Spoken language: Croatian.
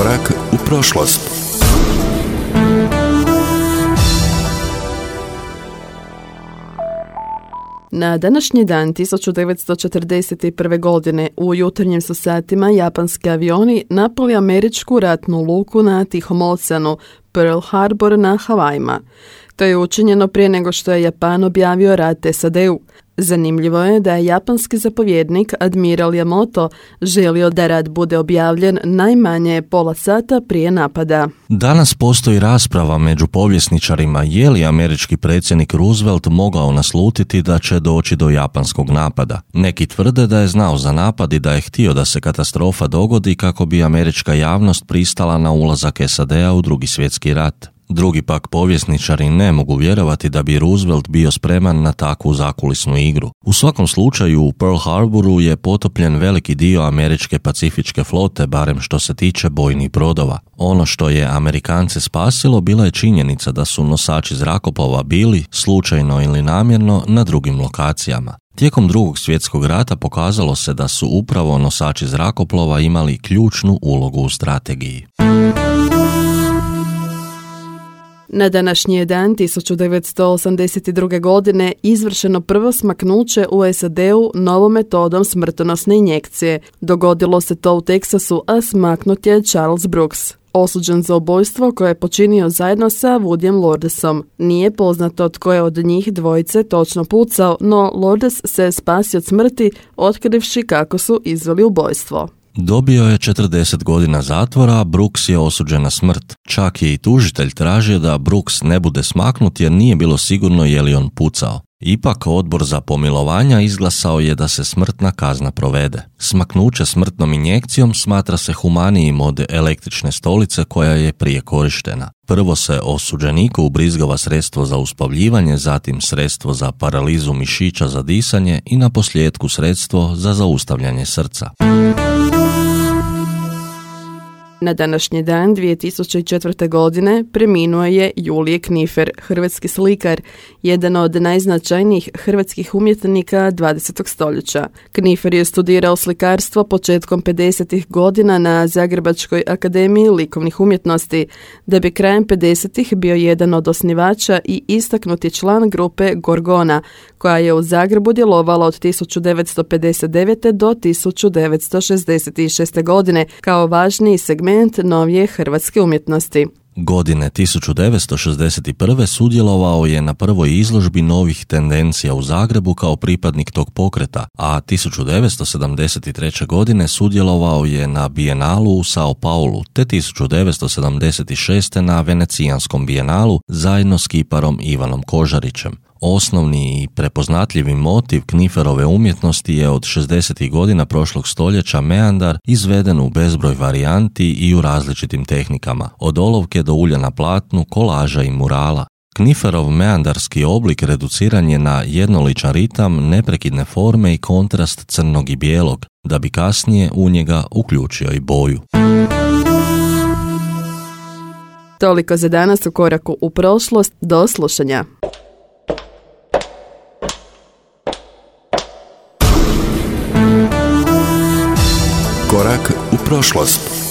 Korak u prošlost. Na današnji dan 1941. godine u jutarnjim su satima japanski avioni napali američku ratnu luku na Tihom oceanu, Pearl Harbor na Havajima. To je učinjeno prije nego što je Japan objavio rat SAD-u. Zanimljivo je da je japanski zapovjednik admiral Yamamoto želio da rat bude objavljen najmanje pola sata prije napada. Danas postoji rasprava među povjesničarima je li američki predsjednik Roosevelt mogao naslutiti da će doći do japanskog napada. Neki tvrde da je znao za napad i da je htio da se katastrofa dogodi kako bi američka javnost pristala na ulazak SAD-a u Drugi svjetski rat. Drugi pak povjesničari ne mogu vjerovati da bi Roosevelt bio spreman na takvu zakulisnu igru. U svakom slučaju u Pearl Harboru je potopljen veliki dio američke pacifičke flote, barem što se tiče bojnih brodova. Ono što je Amerikance spasilo bila je činjenica da su nosači zrakoplova bili, slučajno ili namjerno, na drugim lokacijama. Tijekom Drugog svjetskog rata pokazalo se da su upravo nosači zrakoplova imali ključnu ulogu u strategiji. Na današnji je dan 1982. godine izvršeno prvo smaknuće u SAD-u novom metodom smrtonosne injekcije. Dogodilo se to u Teksasu, a smaknut je Charles Brooks, osuđen za ubojstvo koje je počinio zajedno sa Woodyem Lourdesom. Nije poznato tko je od njih dvojice točno pucao, no Lourdes se spasio od smrti otkrivši kako su izveli ubojstvo. Dobio je 40 godina zatvora, a Brooks je osuđen na smrt. Čak je i tužitelj tražio da Brooks ne bude smaknut jer nije bilo sigurno je li on pucao. Ipak odbor za pomilovanja izglasao je da se smrtna kazna provede. Smaknuće smrtnom injekcijom smatra se humanijim od električne stolice koja je prije korištena. Prvo se osuđeniku ubrizgava sredstvo za uspavljivanje, zatim sredstvo za paralizu mišića za disanje i na posljetku sredstvo za zaustavljanje srca. Na današnji dan 2004. godine preminuo je Julije Knifer, hrvatski slikar, jedan od najznačajnijih hrvatskih umjetnika 20. stoljeća. Knifer je studirao slikarstvo početkom 50. godina na Zagrebačkoj akademiji likovnih umjetnosti, da bi krajem 50. bio jedan od osnivača i istaknuti član grupe Gorgona, koja je u Zagrebu djelovala od 1959. do 1966. godine kao važniji segment novije hrvatske umjetnosti. Godine 1961. sudjelovao je na prvoj izložbi novih tendencija u Zagrebu kao pripadnik tog pokreta, a 1973. godine sudjelovao je na Bijenalu u Sao Paulu, te 1976. na Venecijanskom bijenalu zajedno s kiparom Ivanom Kožarićem. Osnovni i prepoznatljivi motiv Kniferove umjetnosti je od 60. godina prošlog stoljeća meandar, izveden u bezbroj varijanti i u različitim tehnikama, od olovke do ulja na platnu, kolaža i murala. Kniferov meandarski oblik reduciran je na jednoličan ritam, neprekidne forme i kontrast crnog i bijelog, da bi kasnije u njega uključio i boju. Toliko za danas u Koraku u prošlost. Do slušanja. Korak u prošlost.